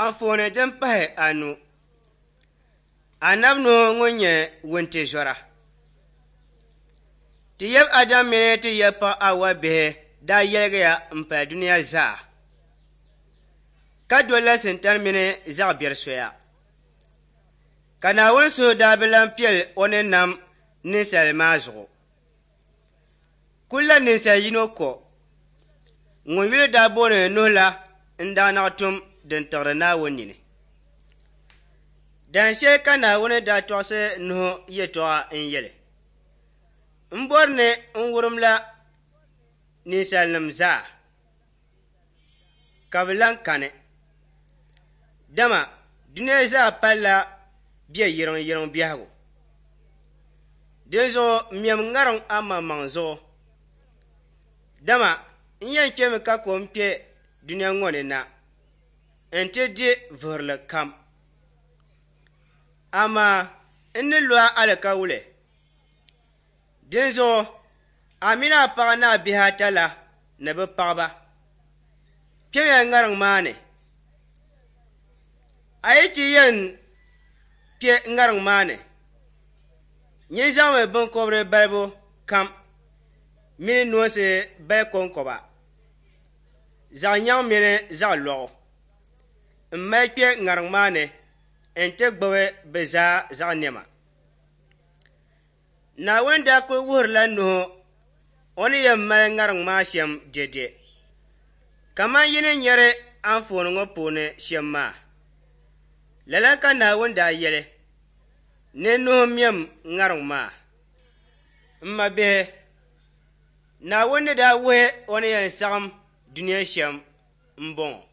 Anfooni din pahi anu, Anabi Nuhu ŋun nyɛ wuntizɔra. Ti yab Adam mini ti yab paɣ Awa bihi daa yɛligiya m-pali dunia zaa, ka dolila Sintani mini zaɣ biɛri soya. Ka Naawuni suhu daa bi lan piɛl o ni nam ninsal maa zuɣu. Kulla ninsal yino ko ŋun yuli daa booni Nuhu la n-daa naɣ tum din tiɣiri Naawuni nini. Dan shɛli ka Naawuni daa tɔɣisi Nuhu yɛtɔɣa n-yɛli, M bɔri ni n wurimla ninsalinim zaa, ka bɛ lan kani, dama dunia zaa palila bɛ yiriŋyiriŋ biɛhigu. Dinzuɣu mɛm ŋariŋ amaŋmaŋ zuɣu, dama n yɛn chɛmi ka kom kpe dunia ŋɔ ni na nti di vuhirili kam. Amaa n ni lo a alikauli, dinzuɣu a mini a paɣa ni a bihi ata la ni bɛ paɣiba kpɛmiya ŋariŋ maa ni. A yi ti yɛn kpe ŋariŋ maa ni, nyin zaŋmi biŋkɔbiri balibu kam mini noonsi bali kɔŋkɔba, zaɣ nyaŋ mini zaɣ lɔɣu m-mali kpe ŋariŋ maa ni nti gbibi bɛ zaa zaɣ nɛma. Naawuni daa kul wuhirila Nuhu o ni yɛn mali ŋariŋ maa shɛm dɛdɛ, kaman yi ni nyari anfooni ŋɔ puuni shɛm maa. Lala ka Naawuni daa yɛli ni Nuhu mɛm ŋariŋ maa. M mabihi, Naawuni ni daa wuhi o ni yɛn saɣim dunia shɛm m-bɔŋɔ.